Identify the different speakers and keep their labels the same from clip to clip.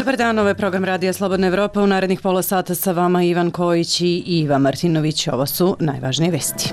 Speaker 1: Dobar dan, ovo je program Radija Slobodna Evropa. U narednih pola sata sa vama Ivan Kojić i Iva Martinović. Ovo su najvažnije vesti.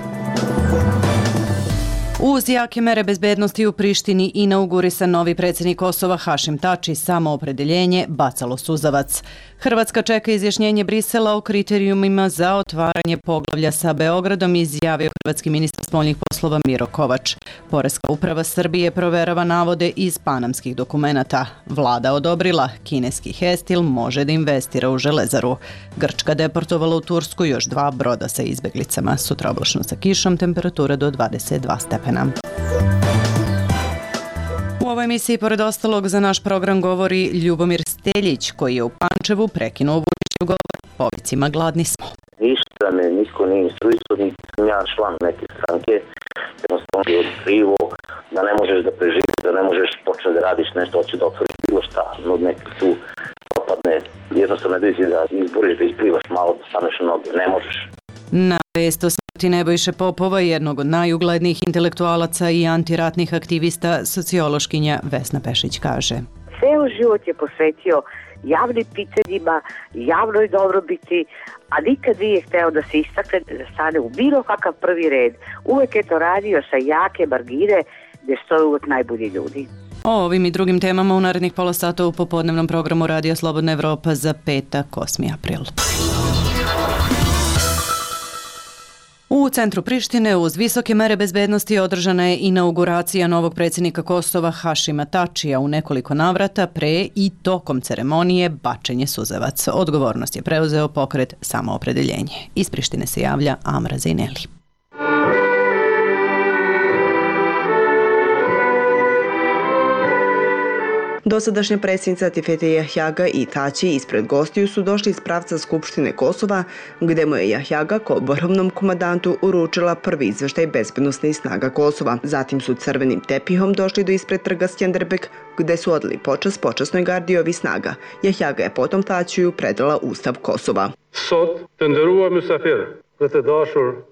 Speaker 1: Uz jake mere bezbednosti u Prištini inaugurisan novi predsjednik Kosova Hašim Tači, samoopredeljenje bacalo suzavac. Hrvatska čeka izjašnjenje Brisela o kriterijumima za otvaranje poglavlja sa Beogradom, izjavio hrvatski ministar spoljnih poslova Miro Kovač. Poreska uprava Srbije proverava navode iz panamskih dokumenata. Vlada odobrila, kineski Hestil može da investira u železaru. Grčka deportovala u Tursku još 2 broda sa izbeglicama. Sutra oblačno sa kišom, temperatura do 22 stepena. U ovoj emisiji, pored ostalog, za naš program govori Ljubomir Steljić, koji je u Pančevu prekinuo Vučićev govor povicima "Gladni smo".
Speaker 2: Ništa me niko nije instruisao, niti sam ja član neke stranke, jednostavno je otkrivo da ne možeš da preživiš, da ne možeš početi da radiš nešto, hoće da otvoriš bilo šta, no neki tu opadne, jednostavno da izboriš, da isplivaš malo, da staneš na noge, ne možeš.
Speaker 1: Na vest o smrti Nebojše Popova, jednog od najuglednijih intelektualaca i antiratnih aktivista, sociološkinja Vesna Pešić kaže:
Speaker 3: Ceo život je posvetio javnim pitanjima, javnoj dobrobiti, a nikad nije hteo da se istakne, da stane u bilo kakav prvi red. Uvek je to radio sa jake margine gde stoje uvek najbolji ljudi.
Speaker 1: O ovim i drugim temama u narednih pola sata u popodnevnom programu Radija Slobodna Evropa za petak, 8. april. U centru Prištine uz visoke mere bezbednosti održana je inauguracija novog predsjednika Kosova Hašima Tačija, u nekoliko navrata pre i tokom ceremonije bačenje suzavac. Odgovornost je preuzeo pokret Samoopredeljenje. Iz Prištine se javlja Amra Zejneli.
Speaker 4: Dosadašnja predsjednica Tifete Jahjaga i Tači ispred gostiju su došli iz pravca Skupštine Kosova, gde mu je Jahjaga kao vrhovnom komandantu uručila prvi izveštaj bezbednosnih snaga Kosova. Zatim su crvenim tepihom došli do ispred trga Skjenderbeg, gde su odali počast počasnoj gardi ovih snaga. Jahjaga je potom Tačiju predala Ustav Kosova.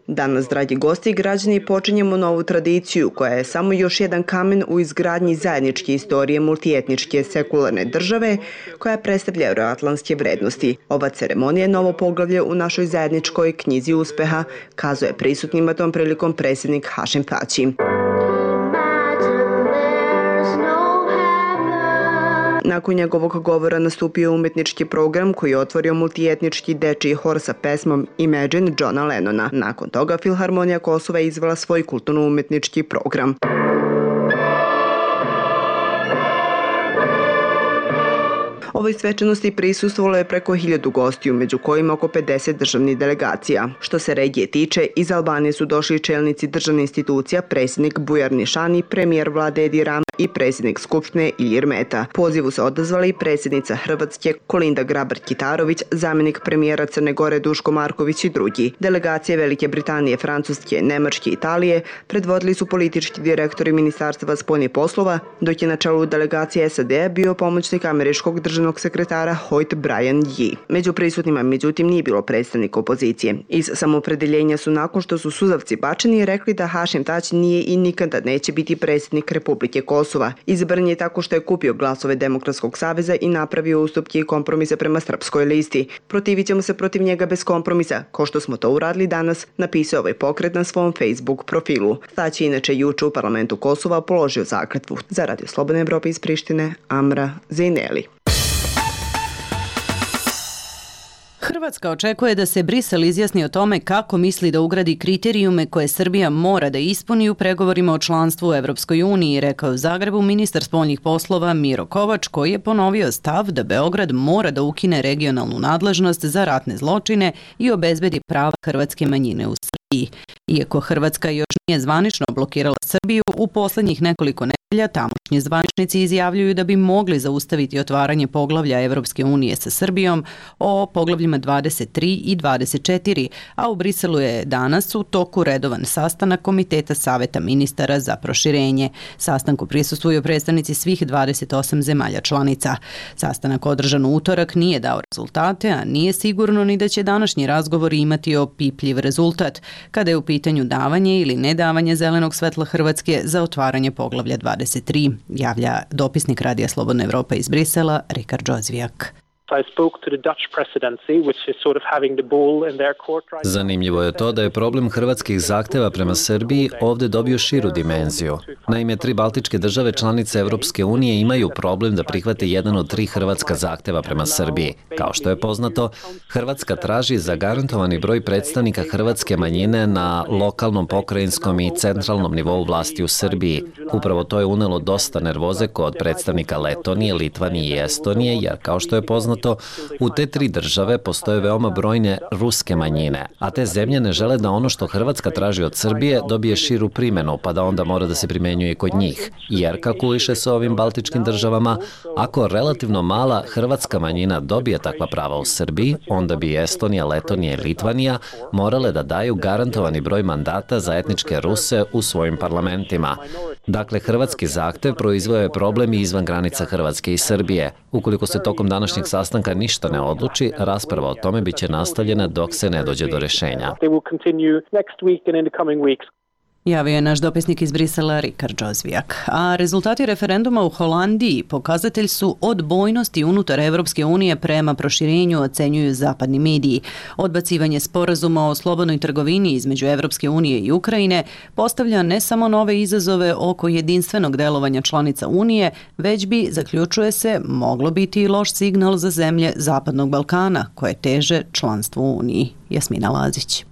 Speaker 4: Danas, dragi gosti i građani, počinjemo novu tradiciju koja je samo još jedan kamen u izgradnji zajedničke istorije multietničke sekularne države koja predstavlja euroatlantske vrednosti. Ova ceremonija je novo poglavlje u našoj zajedničkoj knjizi uspeha, kazuje prisutnima tom prilikom predsjednik Hašim Tači. Nakon njegovog govora nastupio umetnički program koji je otvorio multietnički dečiji hor sa pesmom Imagine Johna Lennona. Nakon toga Filharmonija Kosova je izvela svoj kulturno-umetnički program. Ovoj svečanosti prisustvovalo je preko 1000 gostiju, među kojima oko 50 državnih delegacija. Što se regije tiče, iz Albanije su došli čelnici državnih institucija, predsjednik Bujar Nišani, premijer vlade Edi Rama i predsjednik Skupštine Ilir Meta. Pozivu se odazvala i predsjednica Hrvatske Kolinda Grabar-Kitarović, zamjenik premijera Crne Gore Duško Marković i drugi. Delegacije Velike Britanije, Francuske, Nemačke i Italije predvodili su politički direktori Ministarstva spoljnih poslova, dok je na čelu delegacije SAD-a bio pomoćnik američkog državnog sekretara Hoyt Brian Yee. Među prisutnima, međutim, nije bilo predstavnika opozicije. Iz samoopredeljenja su, nakon što su suzavci bačeni, rekli da Hašim Tači nije i nikada neće biti predsjednik Republike Kosova. Izabran je tako što je kupio glasove Demokratskog saveza i napravio ustupke i kompromise prema srpskoj listi. Protivit ćemo se protiv njega bez kompromisa, kao što smo to uradili danas, napisao ovaj pokret na svom Facebook profilu. Tači inače juče u parlamentu Kosova položio zakletvu. Za Radio Slobodne Evrope iz Prištine, Amra Zejneli.
Speaker 1: Hrvatska očekuje da se Brisel izjasni o tome kako misli da ugradi kriterijume koje Srbija mora da ispuni u pregovorima o članstvu u Evropskoj uniji, rekao u Zagrebu ministar spoljnih poslova Miro Kovač, koji je ponovio stav da Beograd mora da ukine regionalnu nadležnost za ratne zločine i obezbedi prava hrvatske manjine u Srbiji. Iako Hrvatska još nije zvanično blokirala Srbiju, u poslednjih nekoliko nedelja tamošnji zvaničnici izjavljuju da bi mogli zaustaviti otvaranje poglavlja Evropske unije sa Srbijom o poglavljima 23 i 24, a u Briselu je danas u toku redovan sastanak Komiteta Saveta ministara za proširenje. Sastanku prisustvuju predstavnici svih 28 zemalja članica. Sastanak održan u utorak nije dao rezultate, a nije sigurno ni da će današnji razgovor imati opipljiv rezultat. Kada je u pitanju davanje ili nedavanje zelenog svetla Hrvatske za otvaranje poglavlja 23, javlja dopisnik Radija Slobodna Evropa iz Brisela, Rikard Džozvijak.
Speaker 5: Zanimljivo je to da je problem hrvatskih zahteva prema Srbiji ovdje dobio širu dimenziju. Naime, 3 baltičke države članice Evropske unije imaju problem da prihvate jedan od 3 hrvatska zahteva prema Srbiji. Kao što je poznato, Hrvatska traži zagarantovani broj predstavnika hrvatske manjine na lokalnom, pokrajinskom i centralnom nivou vlasti u Srbiji. Upravo to je unelo dosta nervoze kod predstavnika Letonije, Litvanije i Estonije, jer kao što je poznato, u te 3 države postoje veoma brojne ruske manjine, a te zemlje ne žele da ono što Hrvatska traži od Srbije dobije širu primjenu, pa da onda mora da se primenjuje i kod njih. Jer kalkuliše se ovim baltičkim državama, ako relativno mala hrvatska manjina dobije takva prava u Srbiji, onda bi Estonija, Letonija i Litvanija morale da daju garantovani broj mandata za etničke Ruse u svojim parlamentima. Dakle, hrvatski zahtev proizveo je problem i izvan granica Hrvatske i Srbije. Ukoliko se tokom današnjeg sastanka ništa ne odluči, rasprava o tome biće nastavljena dok se ne dođe do rešenja.
Speaker 1: Javio je naš dopisnik iz Brisela, Rikard Džozvijak. A rezultati referenduma u Holandiji pokazatelj su odbojnosti unutar Evropske unije prema proširenju, ocenjuju zapadni mediji. Odbacivanje sporazuma o slobodnoj trgovini između Evropske unije i Ukrajine postavlja ne samo nove izazove oko jedinstvenog delovanja članica Unije, već bi, zaključuje se, moglo biti i loš signal za zemlje Zapadnog Balkana, koje teže članstvu u Uniji. Jasmina Lazić.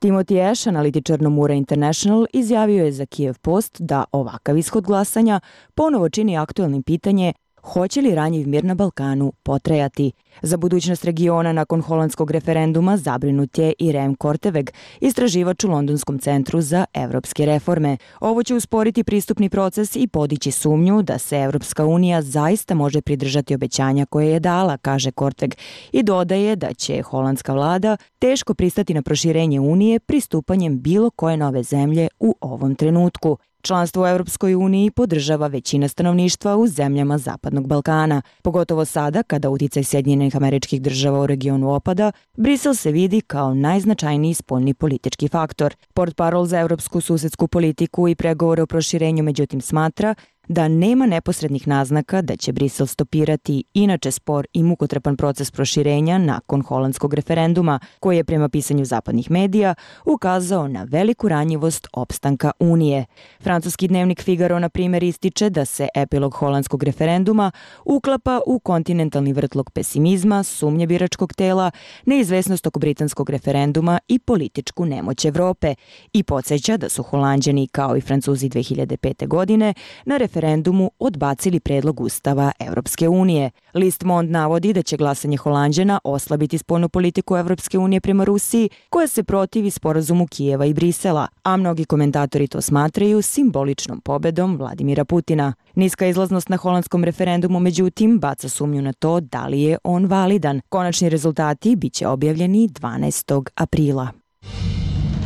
Speaker 6: Timothy Ash, analitičar Nomura International, izjavio je za Kiev Post da ovakav ishod glasanja ponovo čini aktuelnim pitanje hoće li ranjiv mir na Balkanu potrajati. Za budućnost regiona nakon holandskog referenduma zabrinut je i Rem Korteweg, istraživač u Londonskom centru za evropske reforme. Ovo će usporiti pristupni proces i podići sumnju da se Evropska unija zaista može pridržati obećanja koje je dala, kaže Korteweg, i dodaje da će holandska vlada teško pristati na proširenje Unije pristupanjem bilo koje nove zemlje u ovom trenutku. Članstvo u Evropskoj uniji podržava većina stanovništva u zemljama Zapadnog Balkana. Pogotovo sada, kada uticaj Sjedinjenih Američkih Država u regionu opada, Brisel se vidi kao najznačajniji spoljni politički faktor. Portparol za evropsku susedsku politiku i pregovore o proširenju međutim smatra da nema neposrednih naznaka da će Brisel stopirati inače spor i mukotrpan proces proširenja nakon holandskog referenduma, koji je prema pisanju zapadnih medija ukazao na veliku ranjivost opstanka Unije. Francuski dnevnik Figaro, na primjer, ističe da se epilog holandskog referenduma uklapa u kontinentalni vrtlog pesimizma, sumnje biračkog tela, neizvesnost oko britanskog referenduma i političku nemoć Evrope i podsjeća da su Holanđani, kao i Francuzi 2005. godine, na referendumu odbacili predlog Ustava Evropske unije. List Mond navodi da će glasanje Holanđana oslabiti spoljnu politiku Evropske unije prema Rusiji, koja se protivi sporazumu Kijeva i Brisela, a mnogi komentatori to smatraju simboličnom pobedom Vladimira Putina. Niska izlaznost na holandskom referendumu, međutim, baca sumnju na to da li je on validan. Konačni rezultati biće objavljeni 12. aprila.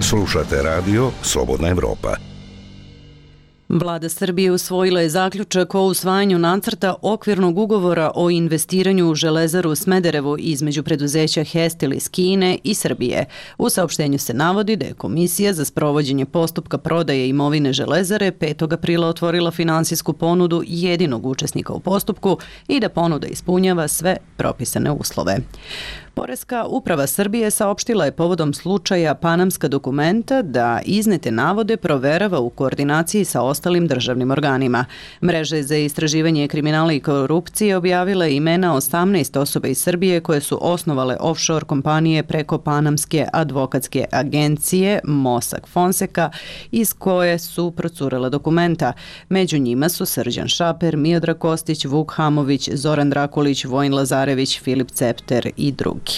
Speaker 7: Slušate radio Slobodna Evropa.
Speaker 1: Vlada Srbije usvojila je zaključak o usvajanju nacrta okvirnog ugovora o investiranju u Železaru Smederevo između preduzeća Hestil iz Kine i Srbije. U saopštenju se navodi da je Komisija za sprovođenje postupka prodaje imovine Železare 5. aprila otvorila finansijsku ponudu jedinog učesnika u postupku i da ponuda ispunjava sve propisane uslove. Poreska uprava Srbije saopštila je povodom slučaja Panamska dokumenta da iznete navode proverava u koordinaciji sa ostalim državnim organima. Mreže za istraživanje kriminala i korupcije objavila je imena 18 osoba iz Srbije koje su osnovale offshore kompanije preko Panamske advokatske agencije Mossack Fonseca, iz koje su procurela dokumenta. Među njima su Srđan Šaper, Miodrag Kostić, Vuk Hamović, Zoran Drakulić, Vojin Lazarević, Filip Cepter i drugi.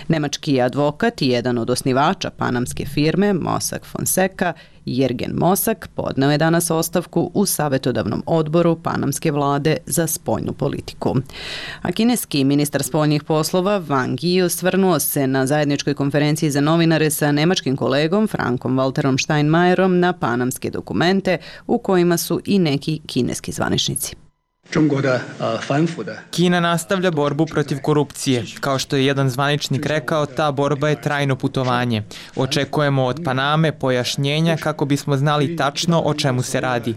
Speaker 1: Nemački advokat i jedan od osnivača panamske firme Mossack Fonseca, Jergen Mossack, podneo je danas ostavku u savjetodavnom odboru panamske vlade za spoljnu politiku. A kineski ministar spoljnih poslova Wang Yi osvrnuo se na zajedničkoj konferenciji za novinare sa nemačkim kolegom Frankom Walterom Steinmeierom na panamske dokumente u kojima su i neki kineski zvaničnici.
Speaker 8: Kina nastavlja borbu protiv korupcije. Kao što je jedan zvaničnik rekao, ta borba je trajno putovanje. Očekujemo od Paname pojašnjenja kako bismo znali tačno o čemu se radi.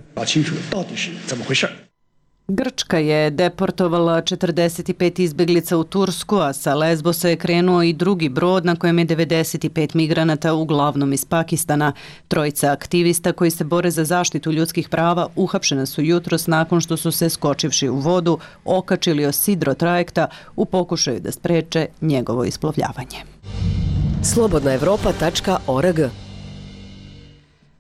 Speaker 1: Grčka je deportovala 45 izbeglica u Tursku, a sa Lesbosa je krenuo i drugi brod na kojem je 95 migranata, uglavnom iz Pakistana. Trojica aktivista koji se bore za zaštitu ljudskih prava uhapšena su jutros nakon što su se, skočivši u vodu, okačili o sidro trajekta u pokušaju da spreče njegovo isplovljavanje.
Speaker 9: Slobodnaevropa.org.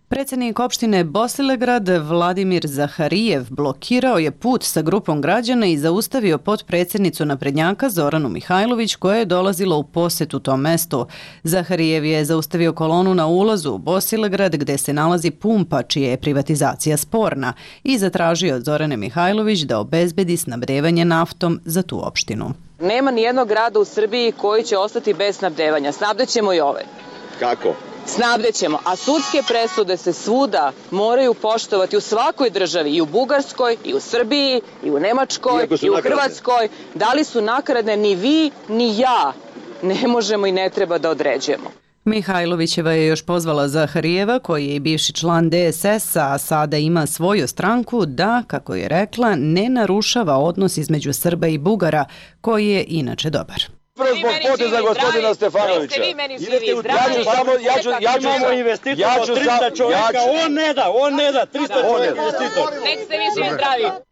Speaker 1: Predsjednik opštine Bosilegrad Vladimir Zaharijev blokirao je put sa grupom građana i zaustavio potpredsjednicu naprednjaka Zoranu Mihajlović koja je dolazila u posjetu tom mestu. Zaharijev je zaustavio kolonu na ulazu u Bosilegrad gdje se nalazi pumpa čija je privatizacija sporna i zatražio od Zorane Mihajlović da obezbedi snabdevanje naftom za tu opštinu.
Speaker 10: Nema ni jednog grada u Srbiji koji će ostati bez snabdevanja. Snabdećemo i ovaj.
Speaker 11: Kako?
Speaker 10: Snabdećemo, a sudske presude se svuda moraju poštovati u svakoj državi, i u Bugarskoj, i u Srbiji, i u Nemačkoj, i u Hrvatskoj. Da li su nakaradne, ni vi, ni ja ne možemo i ne treba da određujemo.
Speaker 1: Mihajlovićeva je još pozvala Zaharijeva, koji je i bivši član DSS-a, a sada ima svoju stranku, da, kako je rekla, ne narušava odnos između Srba i Bugara, koji je inače dobar.
Speaker 11: Zbog poteza gospodina Stefanovića.
Speaker 12: Imamo investitora od 300 čovjeka, on ne da, 300 čovjeka investitor.
Speaker 10: Nek ste vi živi zdravi.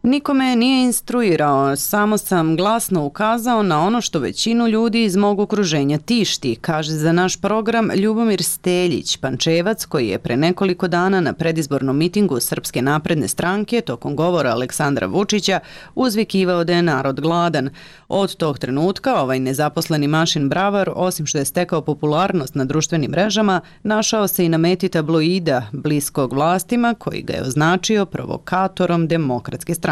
Speaker 1: Nikome nije instruirao, samo sam glasno ukazao na ono što većinu ljudi iz mog okruženja tišti, kaže za naš program Ljubomir Steljić, Pančevac, koji je pre nekoliko dana na predizbornom mitingu Srpske napredne stranke tokom govora Aleksandra Vučića uzvikivao da je narod gladan. Od tog trenutka ovaj nezaposleni mašin bravar, osim što je stekao popularnost na društvenim mrežama, našao se i na meti tabloida bliskog vlastima koji ga je označio provokatorom Demokratske stranke.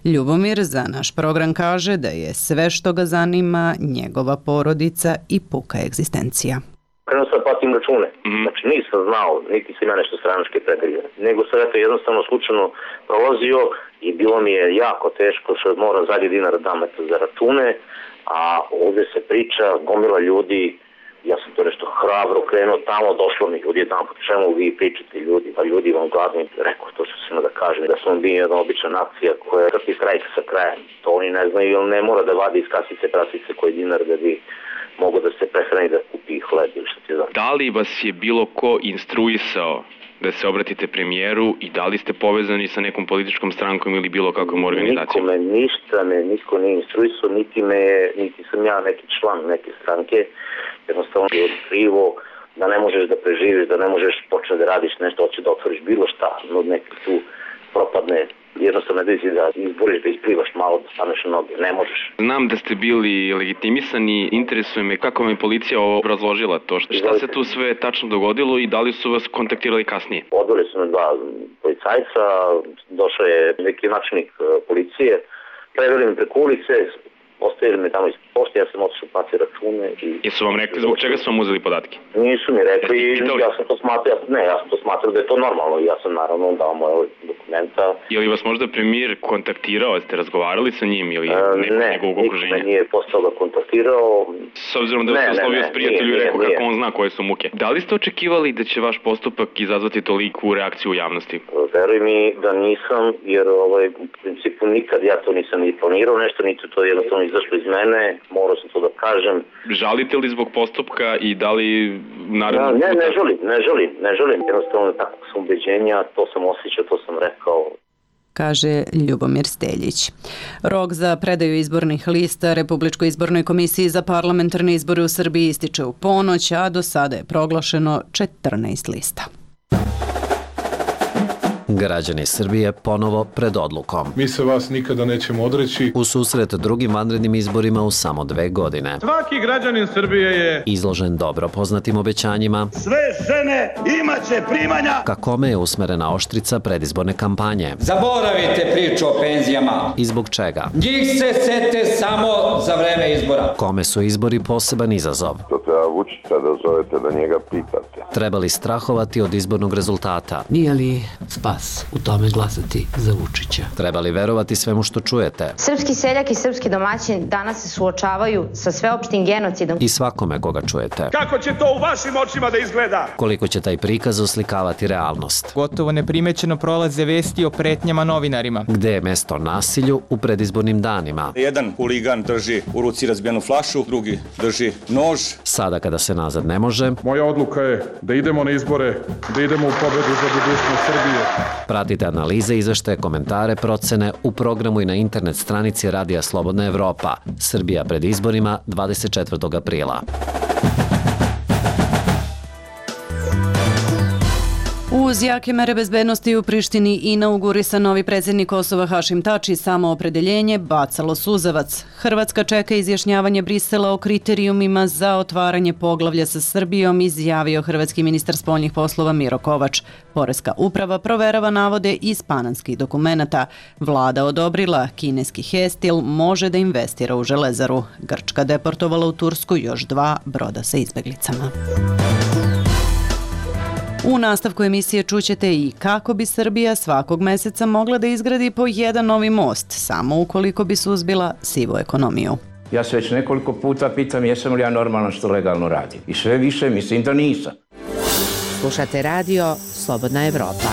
Speaker 1: Ljubomir za naš program kaže da je sve što ga zanima njegova porodica i puka egzistencija.
Speaker 2: Krenuo sam platim račune. Znači nisam znao, niti sam ja nešto stranačke pregrije. Nego sam jednostavno slučajno prolazio i bilo mi je jako teško što moram zadnji dinar dam za račune, a ovdje se priča, gomila ljudi, ja sam to nešto hrabro krenuo tamo, došlo mi ljudi tamo, po čemu vi pričate ljudi, pa ljudi vam gladni, rekao to što sam da kažem, da sam bio jedna obična nacija koja trpi strajk sa krajem, to oni ne znaju, ili ne mora da vadi iz kasice prasice koji dinar da bi mogu da se prehrani da kupi hleb ili što ti znam.
Speaker 13: Da li vas je bilo ko instruisao da se obratite premijeru i da li ste povezani sa nekom političkom strankom ili bilo kakvom organizacijom?
Speaker 2: Niko nije instruisao, niti sam ja neki član neke stranke, jednostavno je krivo da ne možeš da preživiš, da ne možeš početi da radiš nešto, hoće da otvoriš bilo šta, no neki tu propadne. Jednostavno da izboriš, da isplivaš malo, da staneš na noge, ne možeš.
Speaker 13: Znam da ste bili legitimisani, interesuje me kako vam je policija obrazložila to, šta se tu sve tačno dogodilo i da li su vas kontaktirali kasnije?
Speaker 2: Odveli su me dva policajca, došao je neki načelnik policije, preveli me preko ulice, ostavili me tamo iz pošte, ja sam otišao platiti račune i...
Speaker 13: Jesu vam rekli zbog čega su vam uzeli podatke?
Speaker 2: Nisu mi rekli, ja sam to smatrao da je to normalno i ja sam naravno dao moje dokumenta.
Speaker 13: Je li vas možda premijer kontaktirao, ste razgovarali sa njim ili njegovog okruženja?
Speaker 2: Ne, nije postao da kontaktirao.
Speaker 13: S obzirom da se oslovio s prijatelju i rekao kako on zna koje su muke. Da li ste očekivali da će vaš postupak izazvati toliku reakciju u javnosti?
Speaker 2: Veruj mi da nisam, jer u principu nikad ja to nisam ni planirao nešto, niti to jednostavno izašlo iz mene, morao sam to da kažem.
Speaker 13: Žalite li zbog postupka i da li naravno...
Speaker 2: Ne želim, jednostavno takvog sam ubeđenja, to sam osjećao, to sam rekao.
Speaker 1: Kaže Ljubomir Steljić. Rok za predaju izbornih lista Republičkoj izbornoj komisiji za parlamentarne izbore u Srbiji ističe u ponoć, a do sada je proglašeno 14 lista.
Speaker 5: Građani Srbije ponovo pred odlukom.
Speaker 14: Mi se vas nikada nećemo odreći.
Speaker 5: U susret drugim vanrednim izborima u samo 2 godine.
Speaker 14: Svaki građanin Srbije je
Speaker 5: izložen dobro poznatim obećanjima.
Speaker 12: Sve žene imaće primanja.
Speaker 5: Ka kome je usmerena oštrica predizborne kampanje.
Speaker 15: Zaboravite priču o penzijama.
Speaker 5: I zbog čega?
Speaker 15: Njih se sete samo za vreme izbora.
Speaker 5: Kome su izbori poseban izazov?
Speaker 16: To treba Vučića da zovete da njega pitate.
Speaker 5: Treba li strahovati od izbornog rezultata?
Speaker 9: Nije li spas u tome glasati za Vučića?
Speaker 5: Treba li verovati svemu što čujete?
Speaker 16: Srpski seljak i srpski domaćin danas se suočavaju sa sveopštim genocidom.
Speaker 5: I svakome koga čujete.
Speaker 12: Kako će to u vašim očima da izgleda?
Speaker 5: Koliko će taj prikaz oslikavati realnost?
Speaker 8: Gotovo neprimećeno prolaze vesti o pretnjama novinarima.
Speaker 5: Gde je mesto nasilju u predizbornim danima?
Speaker 17: Jedan huligan drži u ruci razbijenu flašu, drugi drži nož.
Speaker 5: Sada kada se nazad ne može.
Speaker 14: Moja odluka je da idemo na izbore, da idemo u pobedu za budućnost Srbije.
Speaker 5: Pratite analize, izveštaje, komentare, procene u programu i na internet stranici Radija Slobodna Evropa. Srbija pred izborima 24. aprila.
Speaker 1: Uz jake mere bezbednosti u Prištini inaugurisan novi predsjednik Kosova Hašim Tači samoopredeljenje bacalo suzavac. Hrvatska čeka izjašnjavanje Brisela o kriterijumima za otvaranje poglavlja sa Srbijom, izjavio hrvatski ministar spoljnih poslova Miro Kovač. Poreska uprava proverava navode iz panamskih dokumenata. Vlada odobrila kineski Hestil može da investira u železaru. Grčka deportovala u Tursku još 2 broda sa izbeglicama. U nastavku emisije čućete i kako bi Srbija svakog meseca mogla da izgradi po jedan novi most, samo ukoliko bi suzbila sivu ekonomiju.
Speaker 18: Ja se već nekoliko puta pitam jesam li ja normalan što legalno radim. I sve više mislim da nisam.
Speaker 19: Slušate radio Slobodna Evropa.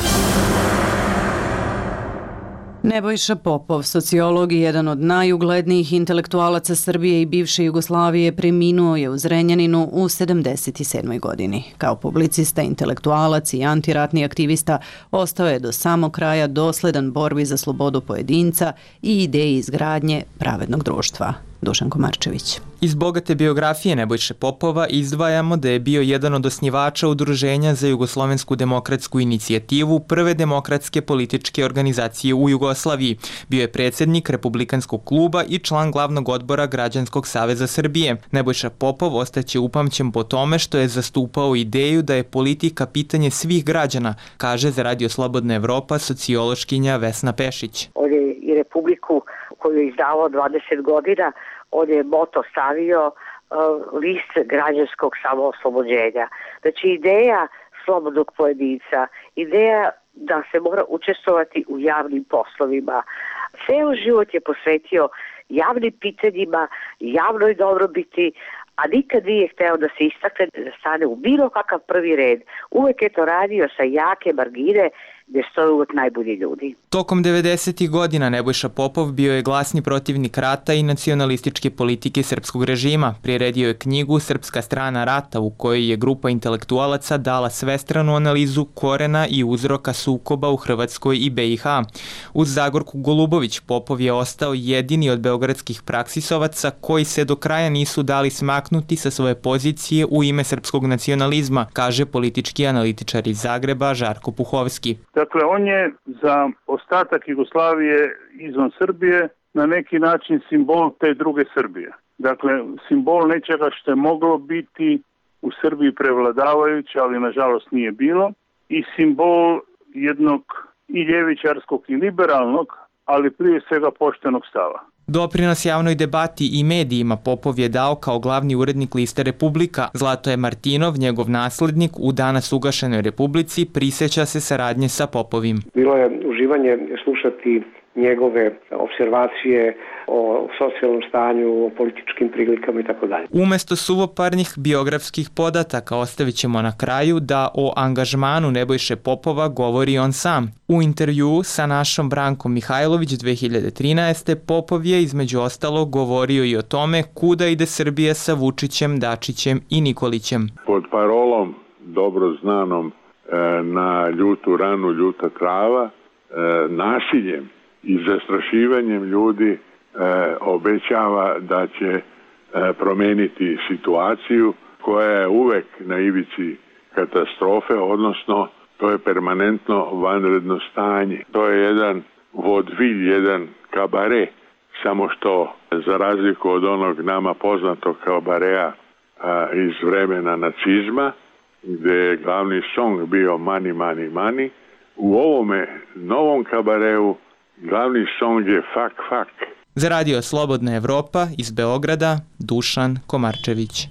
Speaker 1: Nebojša Popov, sociolog i jedan od najuglednijih intelektualaca Srbije i bivše Jugoslavije, preminuo je u Zrenjaninu u 77. godini. Kao publicista, intelektualac i antiratni aktivista ostao je do samog kraja dosledan borbi za slobodu pojedinca i ideji izgradnje pravednog društva. Dušan Komarčević.
Speaker 8: Iz bogate biografije Nebojše Popova izdvajamo da je bio jedan od osnivača Udruženja za jugoslovensku demokratsku inicijativu, prve demokratske političke organizacije u Jugoslaviji. Bio je predsjednik Republikanskog kluba i član glavnog odbora Građanskog saveza Srbije. Nebojša Popov ostaće upamćen po tome što je zastupao ideju da je politika pitanje svih građana, kaže za Radio Slobodna Evropa sociološkinja Vesna Pešić.
Speaker 3: On je i Republiku koju je izdavao 20 godina, on je moto stavio list građanskog samooslobođenja. Znači ideja slobodnog pojedinca, ideja da se mora učestvovati u javnim poslovima. Ceo život je posvetio javnim pitanjima, javnoj dobrobiti, a nikad nije hteo da se istakne, da stane u bilo kakav prvi red. Uvek je to radio sa jake margine gde stoje uvek najbolji ljudi.
Speaker 8: Tokom 90. godina Nebojša Popov bio je glasni protivnik rata i nacionalističke politike srpskog režima. Priredio je knjigu Srpska strana rata u kojoj je grupa intelektualaca dala svestranu analizu korena i uzroka sukoba u Hrvatskoj i BiH. Uz Zagorku Golubović Popov je ostao jedini od beogradskih praksisovaca koji se do kraja nisu dali smaknuti sa svoje pozicije u ime srpskog nacionalizma, kaže politički analitičar iz Zagreba Žarko Puhovski.
Speaker 20: Dakle, on je za ostatak Jugoslavije izvan Srbije na neki način simbol te druge Srbije. Dakle, simbol nečega što je moglo biti u Srbiji prevladavajuće, ali nažalost nije bilo, i simbol jednog i ljevičarskog i liberalnog, ali prije svega poštenog stava.
Speaker 8: Doprinos javnoj debati i medijima Popov je dao kao glavni urednik liste Republika. Zlatoje Martinov, njegov naslednik, u danas ugašenoj Republici prisjeća se saradnje sa Popovim.
Speaker 21: Bilo je uživanje slušati njegove observacije o socijalnom stanju, o političkim prilikama i tako dalje.
Speaker 8: Umesto suvoparnih biografskih podataka ostavit ćemo na kraju da o angažmanu Nebojše Popova govori on sam. U intervjuu sa našom Brankom Mihajlović 2013. Popov je između ostalog govorio i o tome kuda ide Srbija sa Vučićem, Dačićem i Nikolićem.
Speaker 22: Pod parolom dobro znanom na ljutu ranu, ljuta trava, nasiljem i zastrašivanjem ljudi obećava da će promeniti situaciju koja je uvek na ivici katastrofe, odnosno to je permanentno vanredno stanje. To je jedan vodvilj, jedan kabare, samo što za razliku od onog nama poznatog kabarea iz vremena nacizma, gde je glavni song bio Money, money, money, u ovome novom kabareu glavni song je Fuck, fuck.
Speaker 8: Za Radio Slobodna Evropa iz Beograda, Dušan Komarčević.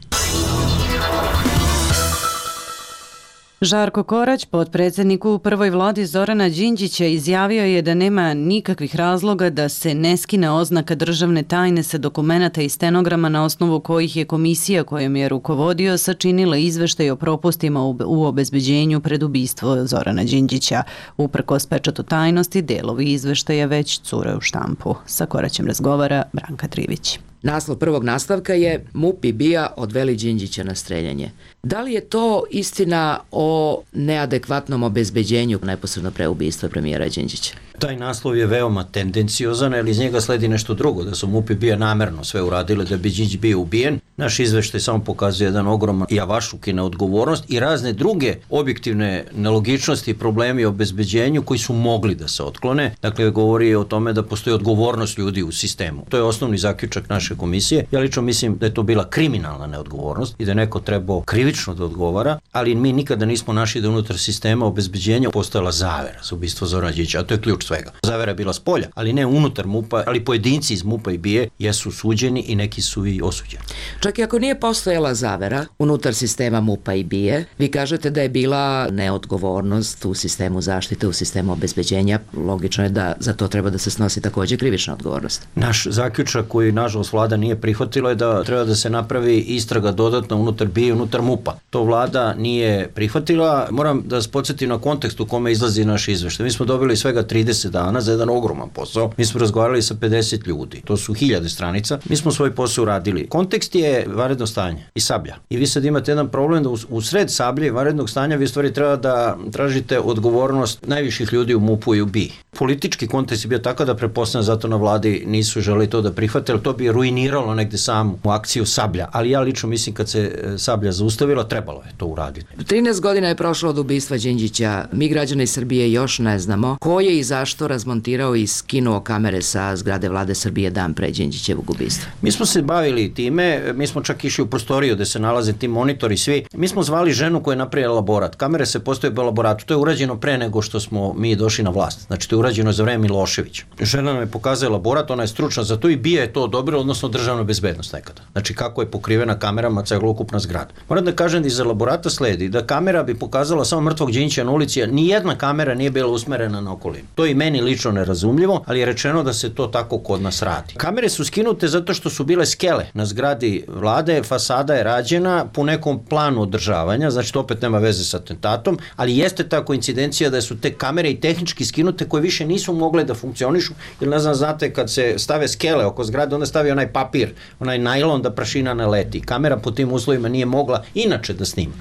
Speaker 1: Žarko Korać, potpredsjednik u prvoj vladi Zorana Đinđića, izjavio je da nema nikakvih razloga da se ne skine oznaka državne tajne sa dokumenata i stenograma na osnovu kojih je komisija kojom je rukovodio sačinila izveštaj o propustima u obezbeđenju pred ubistvo Zorana Đinđića. Uprkos pečatu tajnosti, delovi izveštaja već cure u štampu. Sa Koraćem razgovara Branka Trivić.
Speaker 4: Naslov prvog nastavka je MUP i BIA odveli Đinđića na streljanje. Da li je to istina o neadekvatnom obezbeđenju neposredno pre ubistva premijera Đinđića?
Speaker 6: Taj naslov je veoma tendenciozan, jer iz njega sledi nešto drugo, da su MUP i BIA namerno sve uradile da bi Đinđić bio ubijen. Naš izveštaj samo pokazuje jedan ogroman javašluk i neodgovornost i razne druge objektivne nelogičnosti i problemi o obezbeđenju koji su mogli da se otklone. Dakle, govori o tome da postoji odgovornost ljudi u sistemu. To je osnovni zaključak naše komisije. Ja lično mislim da je to bila kriminalna neodgovornost i da je neko trebao krivično da odgovara, ali mi nikada nismo našli da unutar sistema obezbeđenja postojala zavera za ubistvo Zorana Đinđića, a to je ključ svega. Zavera je bila spolja, ali ne unutar MUP-a, ali pojedinci iz MUP-a i BIA jesu suđeni i neki su i osuđeni.
Speaker 4: Čak i ako nije postojala zavera unutar sistema MUP-a i BIA, vi kažete da je bila neodgovornost u sistemu zaštite, u sistemu obezbeđenja. Logično je da za to treba da se snosi takođe krivična odgovornost.
Speaker 6: Naš zaključak koji nažalost vlada nije prihvatila je da treba da se napravi istraga dodatno unutar BIA i unutar MUP-a. To vlada nije prihvatila. Moram da vas podsjetim na kontekst u kome izlazi naš izveštaj. Mi smo dobili svega 30 dana za jedan ogroman posao. Mi smo razgovarali sa 50 ljudi. To su 1000 stranica. Mi smo svoj posao uradili. Kontekst je vanredno stanje i Sablja. I vi sad imate jedan problem da u sred Sablje i vanrednog stanja vi stvari treba da tražite odgovornost najviših ljudi u MUP-u i u BIA. Politički kontekst je bio tako da pretpostavljam zato na vladi nisu želeli to da prihvate, ali to bi ruiniralo negde samu akciju Sablja. Ali ja lično mislim kad se Sablja zaustavila, trebalo je to uraditi.
Speaker 4: 13 godina je prošlo od ubistva Đinđića. Mi građani Srbije još ne znamo ko je i zašto razmontirao i skinuo kamere sa zgrade vlade Srbije dan pre Đinđićevog ubistva.
Speaker 6: Mi smo se bavili time, mi smo čak išli u prostoriju gde se nalaze ti monitori svi. Mi smo zvali ženu koja je napravila laborat. Kamere se postoje u laboratu. To je urađeno pre nego što smo mi došli na vlast. Znači to je urađeno za vreme Miloševića. Žena nam je pokazala laborat, ona je stručna za to i BIA je to odobrila, odnosno državna bezbednost nekada. Znači kako je pokrivena kamerama celokupna zgrada. Moram da kažem da iz laborata sledi da kamera bi pokazala samo mrtvog Đinđića na ulici, a ni jedna kamera nije bila usmerena na okolinu. To je i meni lično nerazumljivo, ali je rečeno da se to tako kod nas radi. Kamere su skinute zato što su bile skele na zgradi vlade, fasada je rađena po nekom planu održavanja, znači to opet nema veze sa atentatom, ali jeste ta koincidencija da su te kamere i tehnički skinute koje više nisu mogle da funkcionišu, jer ne znam, znate, kad se stave skele oko zgrade, onda stavi onaj papir, onaj najlon da prašina ne leti. Kamera po tim uslovima nije mogla inače da snima.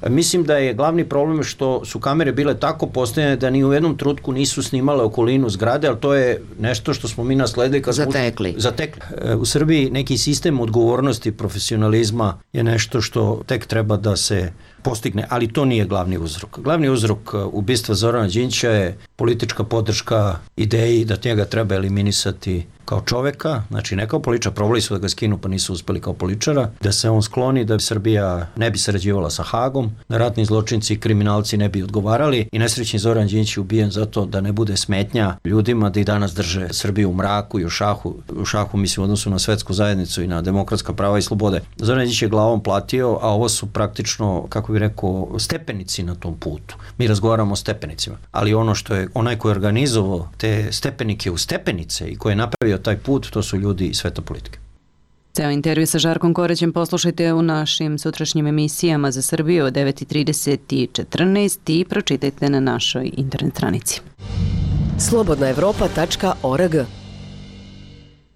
Speaker 6: Mislim da je glavni problem što su kamere bile tako postavljene da ni u jednom trenutku nisu snimale okolinu zgrade, ali to je nešto što smo mi nasledili kad smo zatekli. U Srbiji neki sistem odgovornosti, profesionalizma je nešto što tek treba da se postigne, ali to nije glavni uzrok. Glavni uzrok ubistva Zorana Đinđića je politička podrška ideji da njega treba eliminisati kao čoveka, znači ne kao političara, probali su da ga skinu pa nisu uspeli kao političara, da se on skloni, da Srbija ne bi sarađivala sa Hagom, da ratni zločinci i kriminalci ne bi odgovarali i nesrećni Zoran Đinđić je ubijen zato da ne bude smetnja ljudima da i danas drže Srbiju u mraku i u šahu mislim u odnosu na svetsku zajednicu i na demokratska prava i slobode. Zoran Đinđić je glavom platio, a ovo su praktično, kako bih rekao, stepenici na tom putu. Mi razgovaramo o stepenicima, ali ono što je onaj koji je organizovao te stepenike u stepenice i koji je napravio taj put, to su ljudi iz sveta politike.
Speaker 1: Ceo intervju sa Žarkom Koraćem poslušajte u našim sutrašnjim emisijama za Srbiju od 9:30 i 14 i pročitajte na našoj internet stranici.
Speaker 23: slobodnaevropa.org.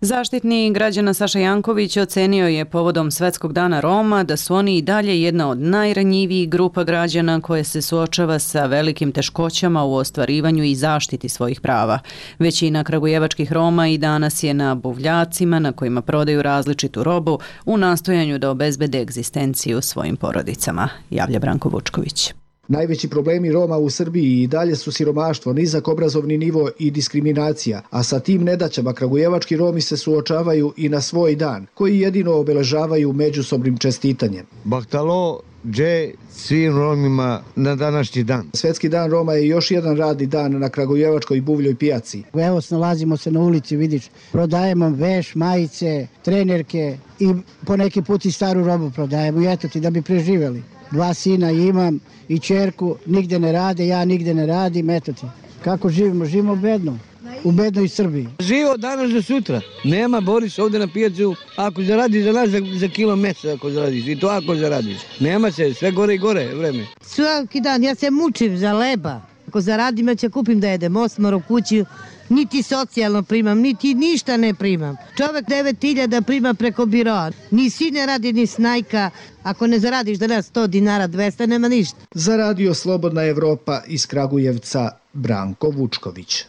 Speaker 1: Zaštitnik građana Saša Janković ocenio je povodom Svetskog dana Roma da su oni i dalje jedna od najranjivijih grupa građana koje se suočava sa velikim teškoćama u ostvarivanju i zaštiti svojih prava. Većina kragujevačkih Roma i danas je na buvljacima na kojima prodaju različitu robu u nastojanju da obezbede egzistenciju svojim porodicama, javlja Branko Vučković.
Speaker 24: Najveći problemi Roma u Srbiji i dalje su siromaštvo, nizak obrazovni nivo i diskriminacija, a sa tim nedaćama kragujevački Romi se suočavaju i na svoj dan, koji jedino obeležavaju međusobnim čestitanjem.
Speaker 25: Bahtalo dže svim Romima na današnji dan.
Speaker 24: Svetski dan Roma je još jedan radni dan na kragujevačkoj buvljoj pijaci.
Speaker 26: Evo, nalazimo se na ulici, vidiš, prodajemo veš, majice, trenerke i po neki put i staru robu prodajemo i eto ti da bi preživjeli. 2 sina imam i ćerku, nigde ne rade, ja nigde ne radim, eto ti. Kako živimo? Živimo bedno. U bednoj Srbiji.
Speaker 25: Živo danas do sutra. Nema, Boris, ovde na pijacu, ako zaradiš za nas za kilo mesa, ako zaradiš, i to ako zaradiš. Nema se, sve gore i gore vreme.
Speaker 26: Svaki dan, ja se mučim za leba. Ako zaradim, ja ću kupim da jedem osmar u kući, niti socijalno primam, niti ništa ne primam. Čovek 9.000 prima preko biroa, ni sin ne radi, ni snajka. Ako ne zaradiš danas 100 dinara, 200, nema ništa.
Speaker 24: Za Radio Slobodna Evropa iz Kragujevca, Branko Vučković.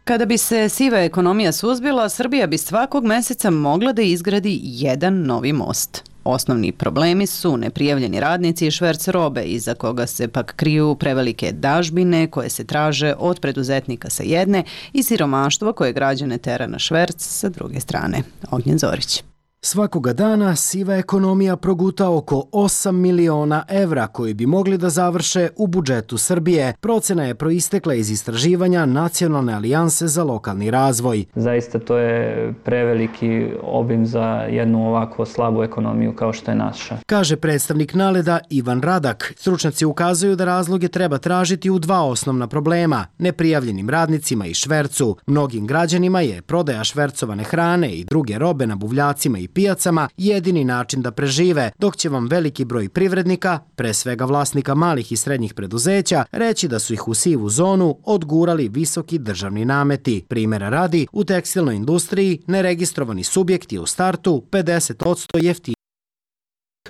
Speaker 1: Kada bi se siva ekonomija suzbila, Srbija bi svakog meseca mogla da izgradi jedan novi most. Osnovni problemi su neprijavljeni radnici i šverc robe, iza koga se pak kriju prevelike dažbine koje se traže od preduzetnika sa jedne i siromaštvo koje građane tera na šverc sa druge strane. Ognjen Zorić.
Speaker 2: Svakoga dana siva ekonomija proguta oko 8 miliona evra koji bi mogli da završe u budžetu Srbije. Procena je proistekla iz istraživanja Nacionalne alijanse za lokalni razvoj.
Speaker 7: Zaista to je preveliki obim za jednu ovako slabu ekonomiju kao što je naša.
Speaker 2: Kaže predstavnik Naleda Ivan Radak. Stručnjaci ukazuju da razloge treba tražiti u 2 osnovna problema: neprijavljenim radnicima i švercu. Mnogim građanima je prodaja švercovane hrane i druge robe na buvljacima i pijacama jedini način da prežive, dok će vam veliki broj privrednika, pre svega vlasnika malih i srednjih preduzeća, reći da su ih u sivu zonu odgurali visoki državni nameti. Primera radi, u tekstilnoj industriji neregistrovani subjekt je u startu 50% jeftiniji.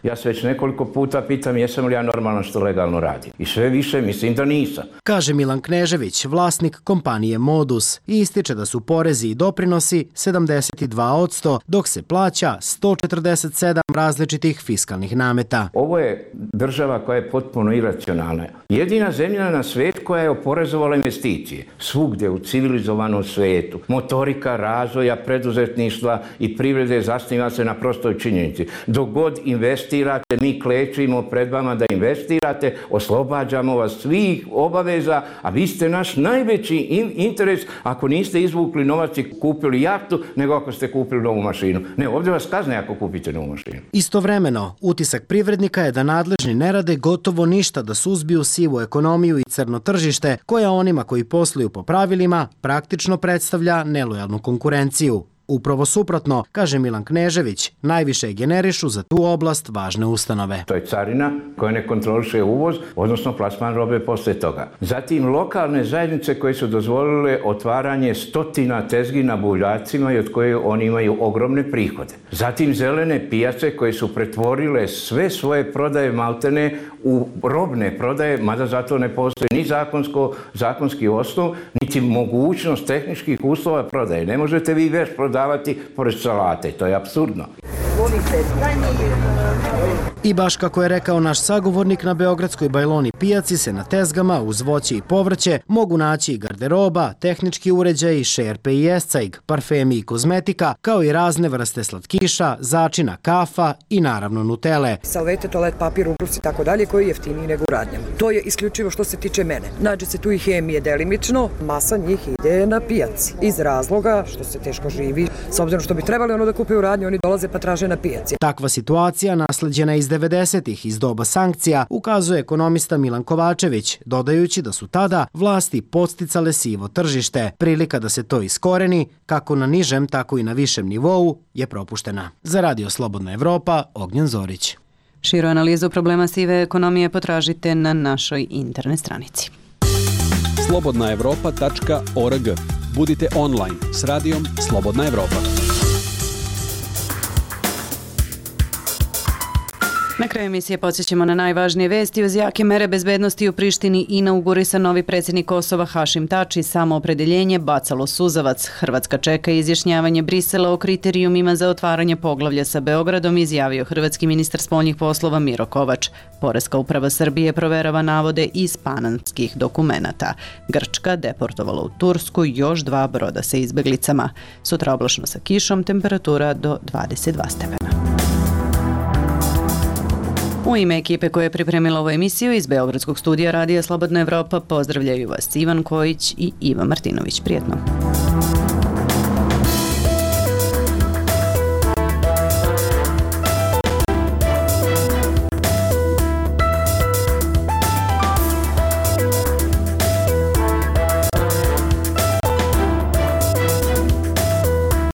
Speaker 18: Ja se već nekoliko puta pitam jesam li ja normalno što legalno radim. I sve više mislim da nisam.
Speaker 2: Kaže Milan Knežević, vlasnik kompanije Modus, i ističe da su porezi i doprinosi 72%, dok se plaća 147 različitih fiskalnih nameta.
Speaker 18: Ovo je država koja je potpuno iracionalna. Jedina zemlja na svijetu koja je oporezovala investicije. Svugdje u civilizovanom svijetu. Motorika razvoja, preduzetništva i privrede zasniva se na prostoj činjenici. Dok god investirate, mi klečimo pred vama da investirate, oslobađamo vas svih obaveza, a vi ste naš najveći interes ako niste izvukli novac i kupili jahtu, nego ako ste kupili novu mašinu. Ne, ovdje vas kazne ako kupite novu mašinu.
Speaker 2: Istovremeno, utisak privrednika je da nadležni ne rade gotovo ništa da suzbiju sivu ekonomiju i crno tržište, koja onima koji posluju po pravilima praktično predstavlja nelojalnu konkurenciju. Upravo suprotno, kaže Milan Knežević, najviše generišu za tu oblast važne ustanove.
Speaker 18: To je carina koja ne kontroliše uvoz, odnosno plasman robe posle toga. Zatim lokalne zajednice koje su dozvolile otvaranje stotina tezgi na buvljacima i od koje oni imaju ogromne prihode. Zatim zelene pijace koje su pretvorile sve svoje prodaje maltene u robne prodaje, mada zato ne postoji ni zakonski osnov, niti mogućnost tehničkih uslova prodaje. Ne možete vi već prodavati pored salate, to je apsurdno.
Speaker 2: I baš kako je rekao naš sagovornik, na beogradskoj Bajloni pijaci se na tezgama uz voće i povrće mogu naći i garderoba, tehnički uređaji, šerpe i escajg, parfemi i kozmetika, kao i razne vrste slatkiša, začina, kafa i naravno nutele.
Speaker 10: Salvete, toalet papir, ubrus i tako dalje, koji je jeftiniji nego u radnjama. To je isključivo što se tiče mene. Nađe se tu i hemije delimično, masa njih ide na pijaci. Iz razloga što se teško živi, s obzirom što bi trebali ono da kupe u radnji, oni dolaze pa traže na pijaci.
Speaker 2: Takva situacija, nasleđena iz 90-ih, iz doba sankcija, ukazuje ekonomista Milan Kovačević, dodajući da su tada vlasti podsticale sivo tržište. Prilika da se to iskoreni, kako na nižem, tako i na višem nivou, je propuštena. Za Radio Slobodna Evropa, Ognjen Zorić.
Speaker 1: Širu analizu problema sive ekonomije potražite na našoj internet stranici.
Speaker 11: slobodnaevropa.org. Budite online s radijom Slobodna Evropa.
Speaker 1: Na kraju emisije podsjećamo na najvažnije vesti. Uz jake mere bezbednosti u Prištini inaugurisan novi predsjednik Kosova Hašim Tači. Samoopredeljenje bacalo suzavac. Hrvatska čeka izjašnjavanje Brisela o kriterijumima za otvaranje poglavlja sa Beogradom, izjavio hrvatski ministar spoljnih poslova Miro Kovač. Poreska uprava Srbije proverava navode iz panamskih dokumenata. Grčka deportovala u Tursku još 2 broda sa izbeglicama. Sutra oblačno sa kišom, temperatura do 22 stepena. U ime ekipe koja je pripremila ovu emisiju iz Beogradskog studija Radija Slobodna Evropa pozdravljaju vas Ivan Kojić i Iva Martinović. Prijetno.